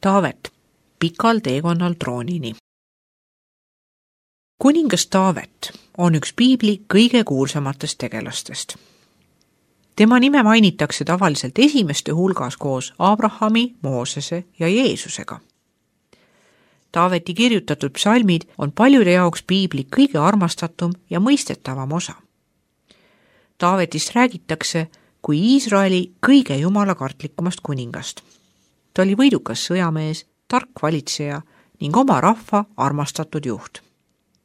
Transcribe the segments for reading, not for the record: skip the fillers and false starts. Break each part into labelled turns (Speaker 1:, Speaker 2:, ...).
Speaker 1: Taavet, pikal teekonnal troonini. Kuningas Taavet on üks piibli kõige kuulsamatest tegelastest. Tema nime mainitakse tavaliselt esimeste hulgas koos Abrahami, Moosese ja Jeesusega. Taaveti kirjutatud psalmid on paljude jaoks piibli kõige armastatum ja mõistetavam osa. Taavetist räägitakse kui Iisraeli kõige jumalakartlikumast kuningast. Ta oli võidukas sõjamees, tark valitseja ning oma rahva armastatud juht.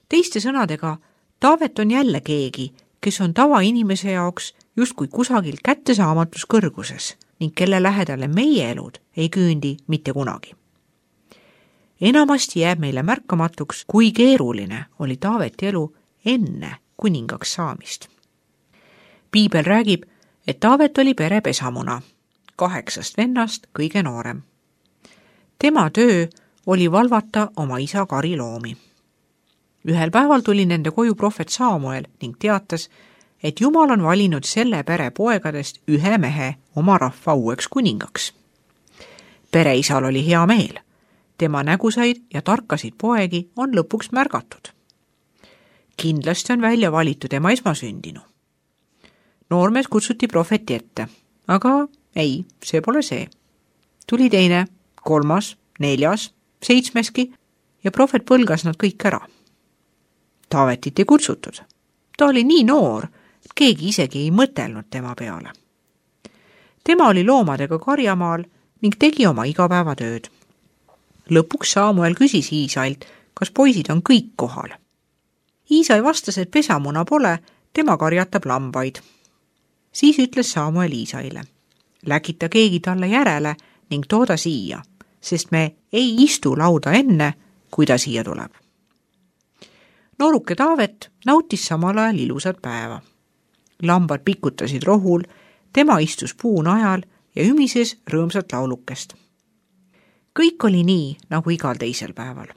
Speaker 1: Teiste sõnadega, Taavet on jälle keegi, kes on tavainimese jaoks justkui kusagil kättesaamatus kõrguses ning kelle lähedale meie elud ei küündi mitte kunagi. Enamasti jääb meile märkamatuks, kui keeruline oli Taaveti elu enne kuningaks saamist. Piibel räägib, et Taavet oli pere pesamuna, 8 vennast kõige noorem. Tema töö oli valvata oma isa kariloomi. Ühel päeval tuli nende koju prohvet Saamuel ning teatas, et Jumal on valinud selle pere poegadest ühe mehe oma rahva uueks kuningaks. Pereisal oli hea meel. Tema nägusaid ja tarkasid poegi on lõpuks märgatud. Kindlasti on välja valitud tema esmasündinu. Noormees kutsuti prohveti ette, aga ei, see pole see. Tuli teine, 3., 4., 7. ja prohvet põlgas nad kõik ära. Taavetit ei kutsutud. Ta oli nii noor, et keegi isegi ei mõtelnud tema peale. Tema oli loomadega karjamaal ning tegi oma igapäevatööd. Lõpuks Saamuel küsis Iisailt, kas poisid on kõik kohal. Iisai vastas, et pesamuna pole, tema karjatab lambaid. Siis ütles Saamuel Iisaile, läkita keegi talle järele ning tooda siia, sest me ei istu lauda enne, kui ta siia tuleb. Nooruke Taavet nautis samal ajal ilusat päeva. Lambad pikutasid rohul, tema istus puu najal ja ümises rõõmsat laulukest. Kõik oli nii, nagu igal teisel päeval.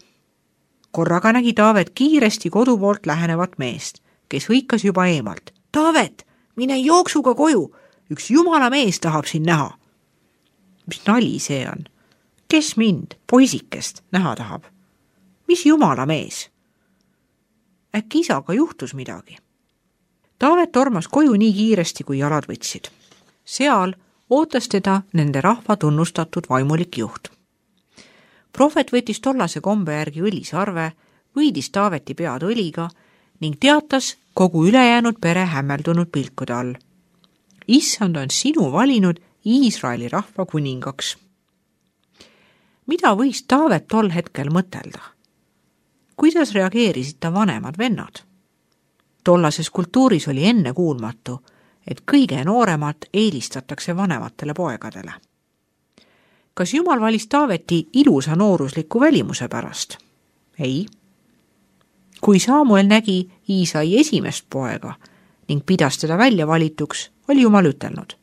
Speaker 1: Korraga nägi Taavet kiiresti kodu poolt lähenevat meest, kes hõikas juba eemalt. Taavet, mine jooksuga koju, üks jumala mees tahab siin näha. Mis nali see on? Kes mind, poisikest, näha tahab? Mis jumala mees? Äkki isaga juhtus midagi? Taavet tormas koju nii kiiresti, kui jalad võtsid. Seal ootas teda nende rahva tunnustatud vaimulik juht. Prohvet võttis tollase kombe järgi õlisarve, võidis Taaveti pead õliga ning teatas kogu ülejäänud pere hämmeldunud pilkude all. Issand on sinu valinud Iisraeli rahva kuningaks. Mida võis Taavet tol hetkel mõtelda? Kuidas reageerisid ta vanemad vennad? Tollases kultuuris oli ennekuulmatu, et kõige nooremat eelistatakse vanematele poegadele. Kas Jumal valis Taaveti ilusa noorusliku välimuse pärast? Ei. Kui Saamuel nägi Iisai esimest poega ning pidas teda välja valituks, oli Jumal ütelnud,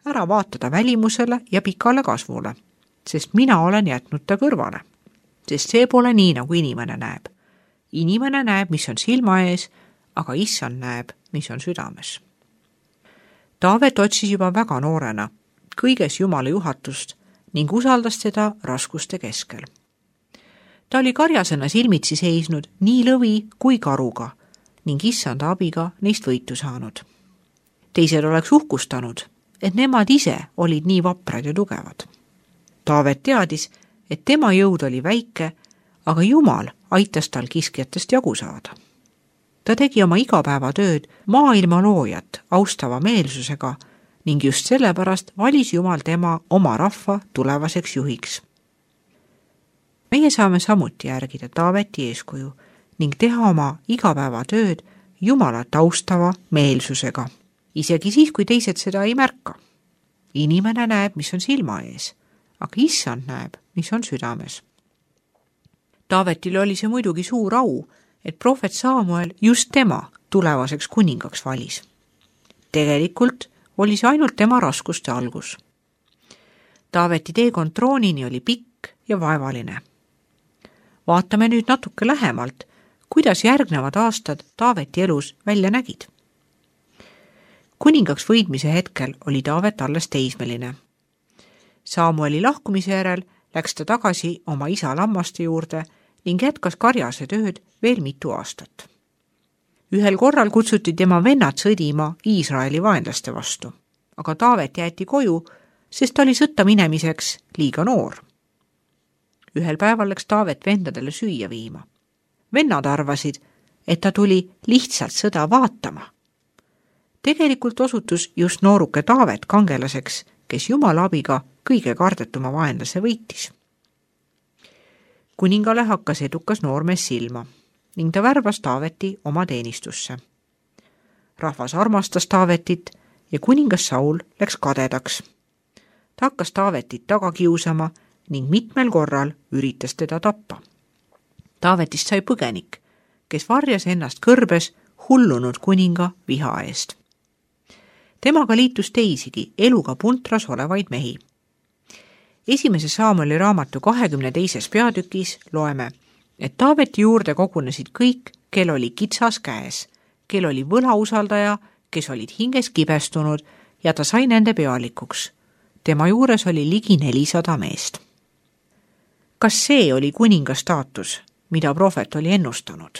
Speaker 1: ära vaatada välimusele ja pikale kasvule, sest mina olen jätnud ta kõrvale. Sest see pole nii, nagu inimene näeb. Inimene näeb, mis on silma ees, aga Issand näeb, mis on südames. Taavet otsis juba väga noorena kõiges Jumala juhatust ning usaldas teda raskuste keskel. Ta oli karjasena silmitsi seisnud nii lõvi kui karuga ning Issanda abiga neist võitu saanud. Teised oleks uhkustanud, et nemad ise olid nii vaprad ja tugevad. Taavet teadis, et tema jõud oli väike, aga Jumal aitas tal kiskjatest jagu saada. Ta tegi oma igapäevatööd maailma loojat austava meelsusega ning just sellepärast valis Jumal tema oma rahva tulevaseks juhiks. Meie saame samuti järgida Taaveti eeskuju ning teha oma igapäevatööd Jumalat austava meelsusega, isegi siis, kui teised seda ei märka. Inimene näeb, mis on silma ees, aga Issand näeb, mis on südames. Taavetil oli see muidugi suur au, et prohvet Saamuel just tema tulevaseks kuningaks valis. Tegelikult oli see ainult tema raskuste algus. Taaveti teekond troonini oli pikk ja vaevaline. Vaatame nüüd natuke lähemalt, kuidas järgnevad aastad Taaveti elus välja nägid. Kuningaks võidmise hetkel oli Taavet alles teismeline. Saamueli lahkumise järel läks ta tagasi oma isa lammaste juurde ning jätkas karjase tööd veel mitu aastat. Ühel korral kutsuti tema vennad sõdima Iisraeli vaenlaste vastu, aga Taavet jäeti koju, sest ta oli sõtta minemiseks liiga noor. Ühel päeval läks Taavet vendadele süüa viima. Vennad arvasid, et ta tuli lihtsalt sõda vaatama. Tegelikult osutus just nooruke Taavet kangelaseks, kes Jumala abiga kõige kardetuma vaenlase võitis. Kuningale hakkas edukas noormees silma ning ta värbas Taaveti oma teenistusse. Rahvas armastas Taavetit ja kuningas Saul läks kadedaks. Ta hakkas Taavetit taga kiusama ning mitmel korral üritas teda tappa. Taavetist sai põgenik, kes varjas ennast kõrbes hullunud kuninga viha eest. Temaga liitus teisigi eluga puntras olevaid mehi. Esimese Saamueli raamatu 22. peatükis loeme, et Taaveti juurde kogunesid kõik, kel oli kitsas käes, kel oli võlausaldaja, kes olid hinges kibestunud ja ta sai nende pealikuks. Tema juures oli ligi 400 meest. Kas see oli kuninga staatus, mida prohvet oli ennustanud?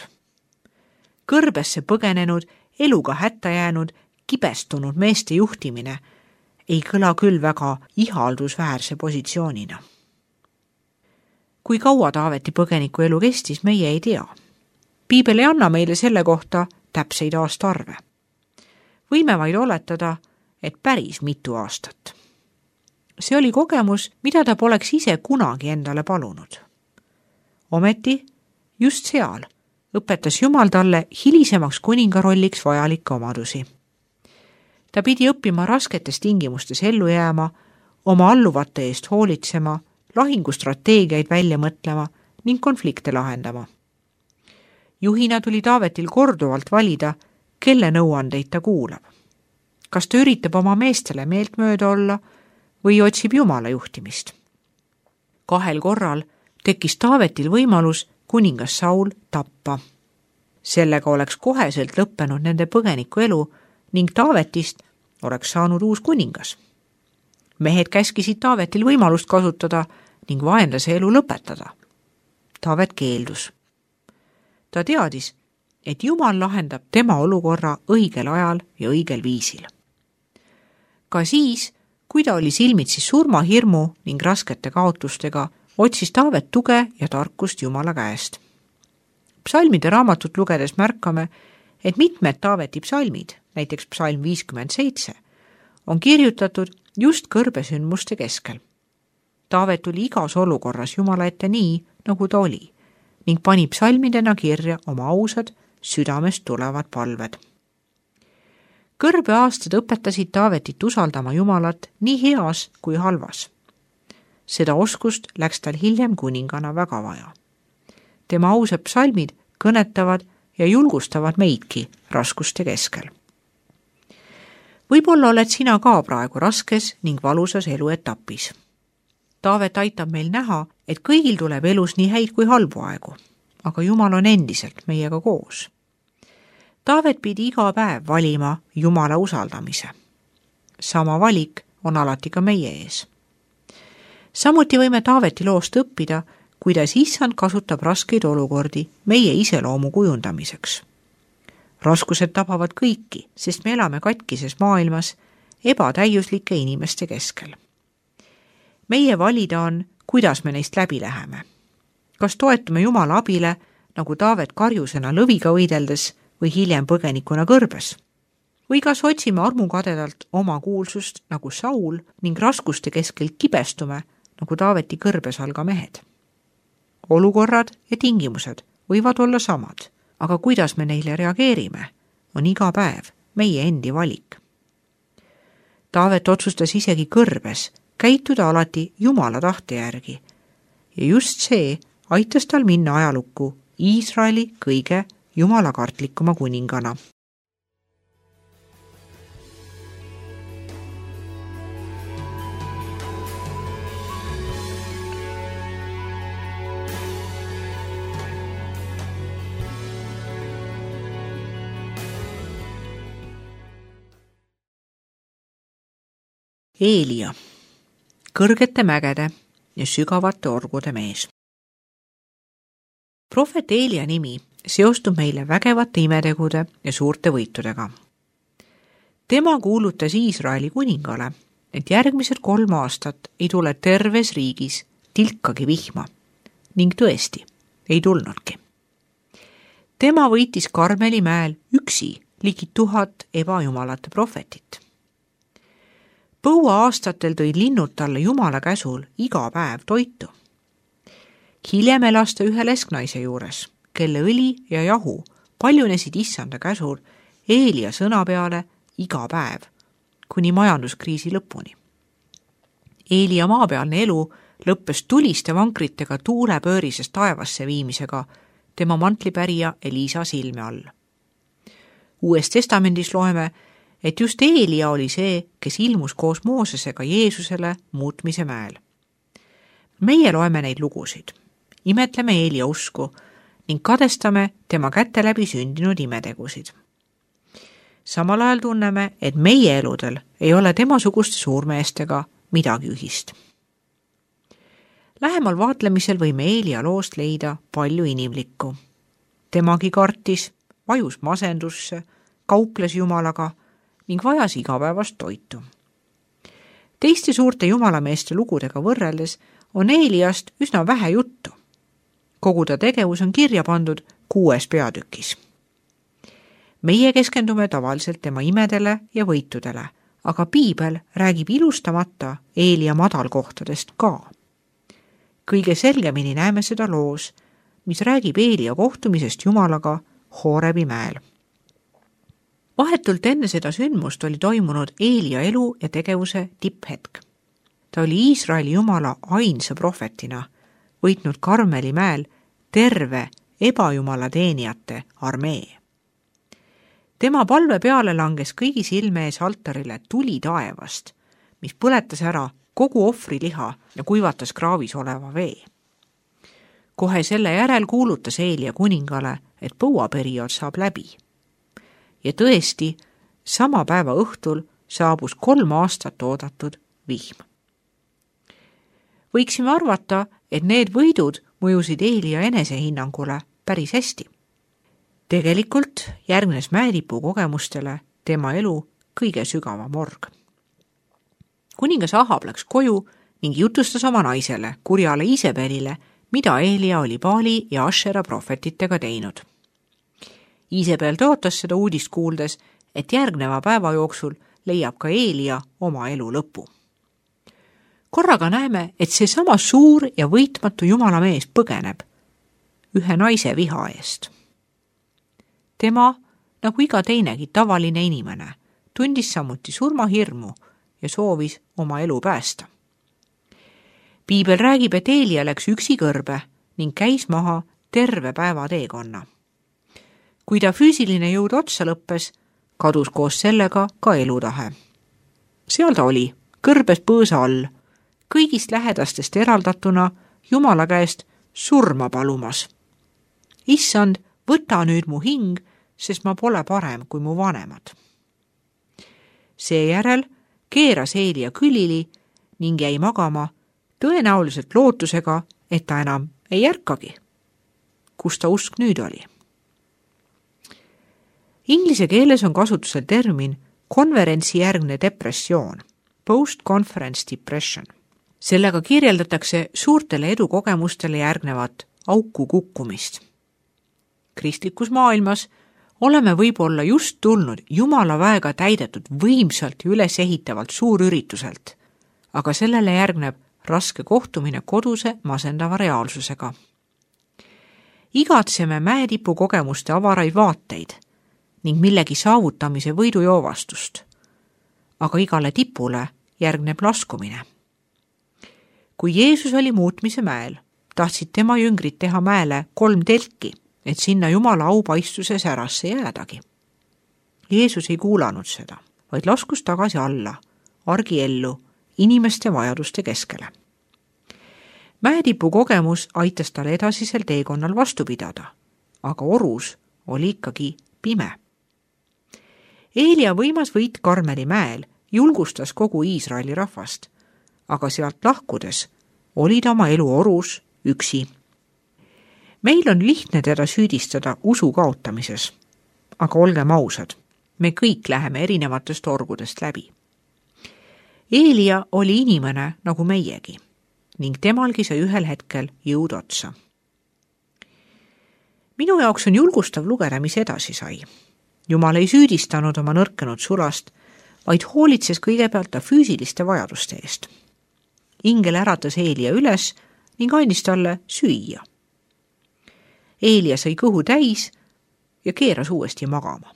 Speaker 1: Kõrbesse põgenenud, eluga hätta jäänud, kibestunud meeste juhtimine ei kõla küll väga ihaldusväärse positsioonina. Kui kaua Taaveti põgeniku elu kestis, meie ei tea. Piibel ei anna meile selle kohta täpseid aastaarve. Võime vaid oletada, et päris mitu aastat. See oli kogemus, mida ta poleks ise kunagi endale palunud. Ometi just seal õpetas Jumal talle hilisemaks kuningarolliks vajalikke omadusi. Ta pidi õppima rasketes tingimustes ellu jääma, oma alluvate eest hoolitsema, lahingustrateegiaid välja mõtlema ning konflikte lahendama. Juhina tuli Taavetil korduvalt valida, kelle nõuandeid ta kuulab. Kas ta üritab oma meestele meeltmööda olla või otsib Jumala juhtimist? 2 korral tekkis Taavetil võimalus kuningas Saul tappa. Sellega oleks koheselt lõppenud nende põgeniku elu ning Taavetist oleks saanud uus kuningas. Mehed käskisid Taavetil võimalust kasutada ning vaenlase elu lõpetada. Taavet keeldus. Ta teadis, et Jumal lahendab tema olukorra õigel ajal ja õigel viisil. Ka siis, kui ta oli silmitsi surmahirmu ning raskete kaotustega, otsis Taavet tuge ja tarkust Jumala käest. Psalmide raamatut lugedes märkame, et mitmed Taaveti psalmid, näiteks psalm 57, on kirjutatud just kõrbesündmuste keskel. Taavet tuli igas olukorras Jumala ette nii, nagu ta oli, ning pani psalmidena kirja oma ausad, südamest tulevad palved. Kõrbeaastad õpetasid Taavetit usaldama Jumalat nii heas kui halvas. Seda oskust läks tal hiljem kuningana väga vaja. Tema ausad psalmid kõnetavad ja julgustavad meidki raskuste keskel. Võib-olla oled sina ka praegu raskes ning valusas eluetapis. Taavet aitab meil näha, et kõigil tuleb elus nii häid kui halbu aegu, aga Jumal on endiselt meiega koos. Taavet pidi iga päev valima Jumala usaldamise. Sama valik on alati ka meie ees. Samuti võime Taaveti loost õppida, kuidas Issand kasutab raskeid olukordi meie iseloomu kujundamiseks. Raskused tabavad kõiki, sest me elame katkises maailmas ebatäiuslike inimeste keskel. Meie valida on, kuidas me neist läbi läheme. Kas toetume Jumala abile, nagu Taavet karjusena lõviga võideldes või hiljem põgenikuna kõrbes? Või kas otsime armukadedalt oma kuulsust nagu Saul ning raskuste keskel kibestume, nagu Taaveti kõrbes alga mehed? Olukorrad ja tingimused võivad olla samad, aga kuidas me neile reageerime, on iga päev meie endi valik. Taavet otsustas isegi kõrbes käituda alati Jumala tahte järgi ja just see aitas tal minna ajalukku Iisraeli kõige jumalakartlikuma kuningana. Eelia, kõrgete mägede ja sügavate orgude mees. Prohvet Eelia nimi seostub meile vägevate imetegude ja suurte võitudega. Tema kuulutas Iisraeli kuningale, et järgmised 3 aastat ei tule terves riigis tilkagi vihma ning tõesti ei tulnudki. Tema võitis Karmeli mäel üksi ligi 1000 ebajumalate prohvetit. Põua aastatel tõid linnud talle Jumala käsul iga päev toitu. Hiljem elas ta ühe lesknaise juures, kelle õli ja jahu paljunesid issanda käsul Eelia sõna peale iga päev, kuni majanduskriisi lõpuni. Eelia maapealne elu lõppes tuliste vankritega tuulepöörisest taevasse viimisega tema mantlipärija Elisa silme all. Uues testamendis loeme, et just Eelia oli see, kes ilmus koos Moosesega Jeesusele muutmise mäel. Meie loeme neid lugusid, imetleme Eelia usku ning kadestame tema käte läbi sündinud imetegusid. Samal ajal tunneme, et meie eludel ei ole temasuguste suurmeestega midagi ühist. Lähemal vaatlemisel võime Eelia loost leida palju inimlikku. Temagi kartis, vajus masendusse, kauples Jumalaga ning vajas igapäevast toitu. Teiste suurte jumalameeste lugudega võrreldes on Eeliast üsna vähe juttu. Kogu ta tegevus on kirja pandud 6 peatükis. Meie keskendume tavaliselt tema imedele ja võitudele, aga piibel räägib ilustamata Eelia madalkohtadest ka. Kõige selgemini näeme seda loos, mis räägib Eelia kohtumisest Jumalaga Hoorebi mäel. Vahetult enne seda sündmust oli toimunud Eelia elu ja tegevuse tipphetk. Ta oli Iisraeli Jumala ainsa prohvetina võitnud Karmeli mäel terve ebajumala teenijate armee. Tema palve peale langes kõigi silme ees altarile tuli taevast, mis põletas ära kogu ohvriliha ja kuivatas kraavis oleva vee. Kohe selle järel kuulutas Eelia kuningale, et põuaperiood saab läbi. Ja tõesti, sama päeva õhtul saabus 3 aastat oodatud vihm. Võiksime arvata, et need võidud mõjusid Eelia enesehinnangule päris hästi. Tegelikult järgnes mäetipu kogemustele tema elu kõige sügavam org. Kuningas Ahab läks koju ning jutustas oma naisele, kurjale Isebelile, mida Eelia oli Baali ja Ashera prohvetitega teinud. Isebel tõotas seda uudist kuuldes, et järgneva päeva jooksul leiab ka Eelia oma elu lõpu. Korraga näeme, et see sama suur ja võitmatu jumala mees põgeneb ühe naise viha eest. Tema, nagu iga teinegi tavaline inimene, tundis samuti surmahirmu ja soovis oma elu päästa. Piibel räägib, et Eelia läks üksi kõrbe ning käis maha terve päeva teekonna. Kui ta füüsiline jõud otsa lõppes, kadus koos sellega ka elutahe. Seal ta oli, kõrbes põõsa all, kõigist lähedastest eraldatuna Jumala käest surma palumas. Issand, võta nüüd mu hing, sest ma pole parem kui mu vanemad. Seejärel keeras Eelia külili ning jäi magama, tõenäoliselt lootusega, et ta enam ei ärkagi. Kus ta usk nüüd oli? Inglise keeles on kasutusel termin konverentsijärgne depressioon, post-conference depression. Sellega kirjeldatakse suurtele edukogemustele järgnevat auku kukkumist. Kristlikus maailmas oleme võib-olla just tulnud Jumala väega täidetud võimsalt ja ülesehitavalt suurürituselt, aga sellele järgneb raske kohtumine koduse masendava reaalsusega. Igatseme mäetipu kogemuste avaraid vaateid ning millegi saavutamise võidujoovastust, aga igale tipule järgneb laskumine. Kui Jeesus oli muutmise mäel, tahtsid tema jüngrid teha mäele 3 telki, et sinna Jumala aupaistvuse särasse jäädagi. Jeesus ei kuulanud seda, vaid laskus tagasi alla, argiellu, inimeste vajaduste keskele. Mäetipu kogemus aitas tal edasisel teekonnal vastu pidada, aga orus oli ikkagi pime. Eelia võimas võit Karmeli mäel julgustas kogu Iisraeli rahvast, aga sealt lahkudes oli ta oma elu orus üksi. Meil on lihtne teda süüdistada usu kaotamises, aga olgem ausad, me kõik läheme erinevatest orgudest läbi. Eelia oli inimene nagu meiegi ning temalgi sai ühel hetkel jõud otsa. Minu jaoks on julgustav lugeda, mis edasi sai. Jumal ei süüdistanud oma nõrkenud sulast, vaid hoolitses kõigepealt ta füüsiliste vajaduste eest. Ingel äratas Eelia üles ning andis talle süüa. Eelia sai kõhu täis ja keeras uuesti magama.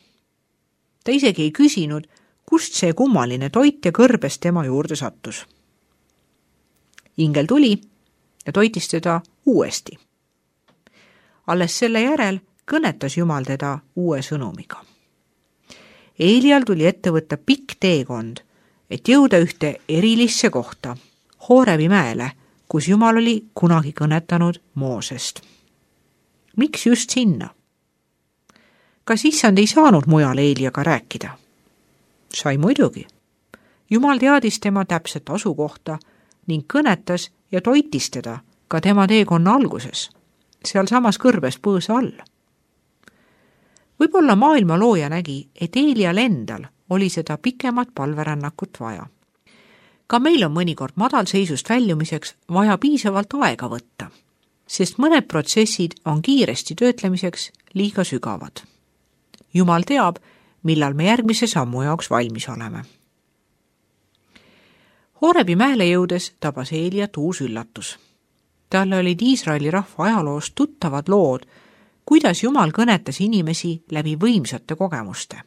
Speaker 1: Ta isegi ei küsinud, kust see kummaline toit ja kõrbes tema juurde sattus. Ingel tuli ja toitis teda uuesti. Alles selle järel kõnetas Jumal teda uue sõnumiga. Eelial tuli ette võtta pikk teekond, et jõuda ühte erilisse kohta, Hoorebi mäele, kus Jumal oli kunagi kõnetanud Moosest. Miks just sinna? Kas issand ei saanud mujal Eeliaga rääkida? Sai muidugi. Jumal teadis tema täpset asukohta ning kõnetas ja toitis teda ka tema teekonna alguses, seal samas kõrbes põõsa all. Võib-olla maailma looja nägi, et Eelial endal oli seda pikemat palverännakut vaja. Ka meil on mõnikord madalseisust väljumiseks vaja piisavalt aega võtta, sest mõned protsessid on kiiresti töötlemiseks liiga sügavad. Jumal teab, millal me järgmise sammu jaoks valmis oleme. Hoorebi mäele jõudes tabas Eeliat uus üllatus. Talle olid Iisraeli rahva ajaloost tuttavad lood, kuidas Jumal kõnetas inimesi läbi võimsate kogemuste.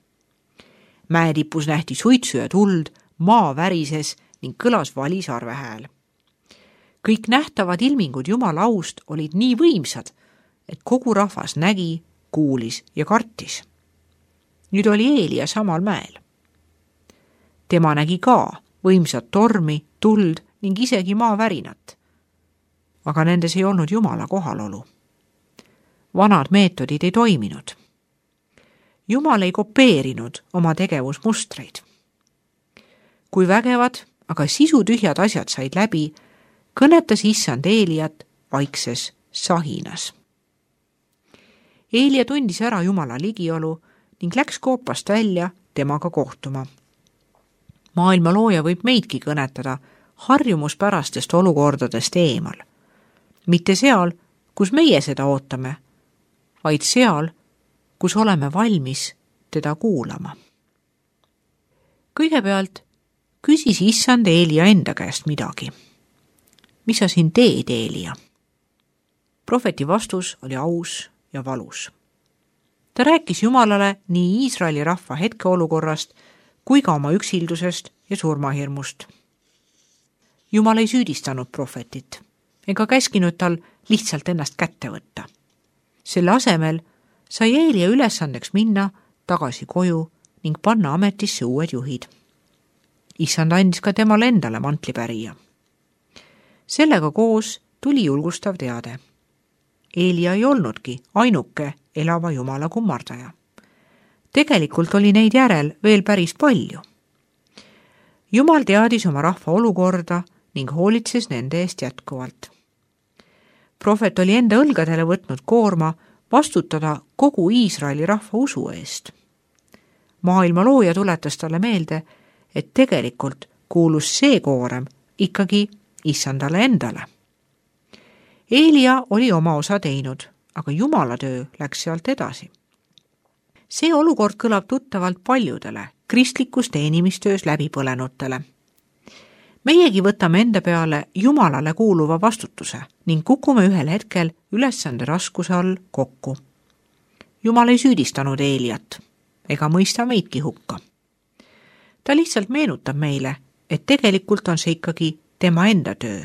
Speaker 1: Mäetipus nähti suitsu ja tuld, maa värises ning kõlas vali sarvehääl. Kõik nähtavad ilmingud Jumala aust olid nii võimsad, et kogu rahvas nägi, kuulis ja kartis. Nüüd oli Eelia samal mäel. Tema nägi ka võimsat tormi, tuld ning isegi maavärinat. Aga nendes ei olnud Jumala kohalolu. Vanad meetodid ei toiminud. Jumal ei kopeerinud oma tegevusmustreid. Kui vägevad, aga sisutühjad asjad said läbi, kõnetas issand Eeliat vaikses sahinas. Eelia tundis ära Jumala ligiolu ning läks koopast välja temaga kohtuma. Maailma looja võib meidki kõnetada harjumuspärastest olukordadest eemal. Mitte seal, kus meie seda ootame, vaid seal, kus oleme valmis teda kuulama. Kõigepealt küsis issand Eelia enda käest midagi. Mis sa siin teed, Eelia? Prohveti vastus oli aus ja valus. Ta rääkis Jumalale nii Iisraeli rahva hetkeolukorrast kui ka oma üksildusest ja surmahirmust. Jumal ei süüdistanud prohvetit ega käskinud tal lihtsalt ennast kätte võtta. Selle asemel sai Eelia ülesandeks minna tagasi koju ning panna ametisse uued juhid. Issand andis ka temale endale mantlipärija. Sellega koos tuli julgustav teade. Eelia ei olnudki ainuke elava Jumala kummardaja. Tegelikult oli neid järel veel päris palju. Jumal teadis oma rahva olukorda ning hoolitses nende eest jätkuvalt. Prohvet oli enda õlgadele võtnud koorma vastutada kogu Iisraeli rahva usu eest. Maailma looja tuletas talle meelde, et tegelikult kuulus see koorem ikkagi issandale endale. Eelia oli oma osa teinud, aga Jumala töö läks sealt edasi. See olukord kõlab tuttavalt paljudele kristlikus teenimistöös läbipõlenutele. Meiegi võtame enda peale Jumalale kuuluva vastutuse ning kukume ühel hetkel ülesande raskuse all kokku. Jumal ei süüdistanud Eeliat ega mõista meidki hukka. Ta lihtsalt meenutab meile, et tegelikult on see ikkagi tema enda töö,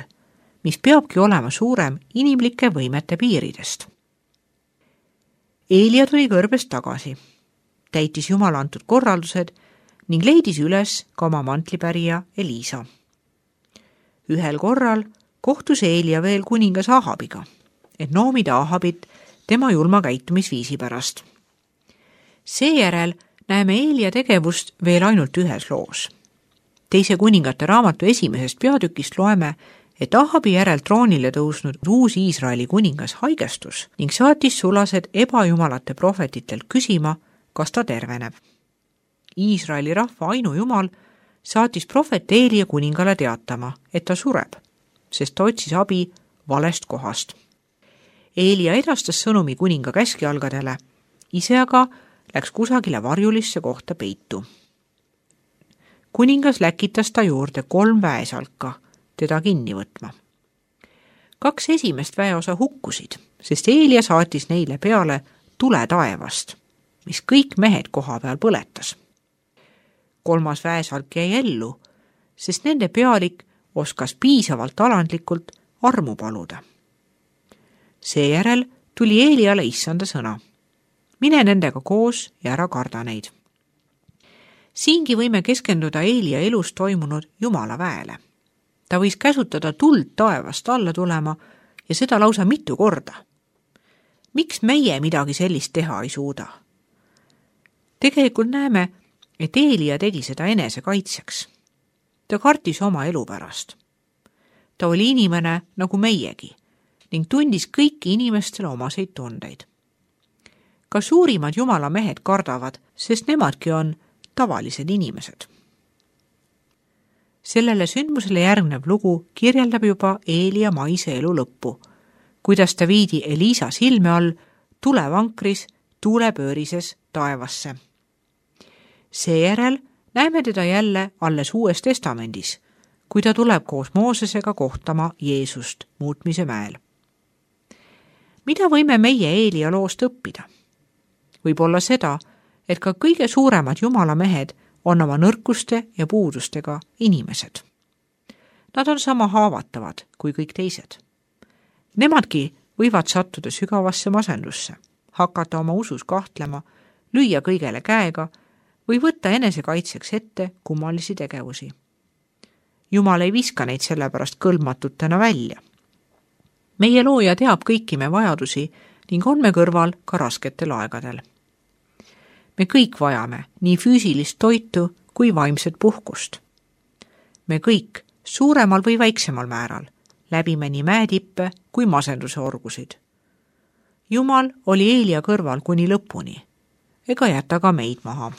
Speaker 1: mis peabki olema suurem inimlike võimete piiridest. Eelia tuli kõrbest tagasi, täitis Jumala antud korraldused ning leidis üles ka oma mantlipärija Eliisa. Ühel korral kohtus Eelia veel kuningas Ahabiga, et noomida Ahabit tema julma käitumisviisi pärast. Seejärel näeme Eelia tegevust veel ainult ühes loos. Teise kuningate raamatu 1. peatükist loeme, et Ahabi järel troonile tõusnud uus Iisraeli kuningas haigestus ning saatis sulased ebajumalate prohvetitelt küsima, kas ta terveneb. Iisraeli rahva ainujumal saatis prohvet Eelia kuningale teatama, et ta sureb, sest ta otsis abi valest kohast. Eelia edastas sõnumi kuninga käskjalgadele, ise aga läks kusagile varjulisse kohta peitu. Kuningas läkitas ta juurde 3 väesalka teda kinni võtma. 2 esimest väeosa hukkusid, sest Eelia saatis neile peale tule taevast, mis kõik mehed koha peal põletas. 3. väesalk jäi ellu, sest nende pealik oskas piisavalt alandlikult armu paluda. Seejärel tuli Eeliale issanda sõna. Mine nendega koos ja ära karda neid. Siingi võime keskenduda Eelia elus toimunud Jumala väele. Ta võis käsutada tuld taevast alla tulema ja seda lausa mitu korda. Miks meie midagi sellist teha ei suuda? Tegelikult näeme, et Eelia tegi seda enese kaitseks. Ta kartis oma elu pärast. Ta oli inimene nagu meiegi ning tundis kõiki inimestele omaseid tundeid. Ka suurimad Jumala mehed kardavad, sest nemadki on tavalised inimesed. Sellele sündmusele järgnev lugu kirjeldab juba Eelia maise elu lõppu, kuidas ta viidi Eliisa silme all tulevankris tuulepöörises taevasse. Seejärel näeme teda jälle alles Uues Testamendis, kui ta tuleb koos Moosesega kohtama Jeesust muutmise mäel. Mida võime meie Eelia loost õppida? Võib-olla seda, et ka kõige suuremad Jumala mehed on oma nõrkuste ja puudustega inimesed. Nad on sama haavatavad kui kõik teised. Nemadki võivad sattuda sügavasse masendusse, hakata oma usus kahtlema, lüüa kõigele käega või võtta enesekaitseks ette kummalisi tegevusi. Jumal ei viska neid sellepärast kõlbmatutena välja. Meie looja teab kõiki me vajadusi ning on me kõrval ka rasketel aegadel. Me kõik vajame nii füüsilist toitu kui vaimset puhkust. Me kõik, suuremal või väiksemal määral, läbime nii mäetippe kui masenduse orgusid. Jumal oli Eelia kõrval kuni lõpuni, ega jäta ka meid maha.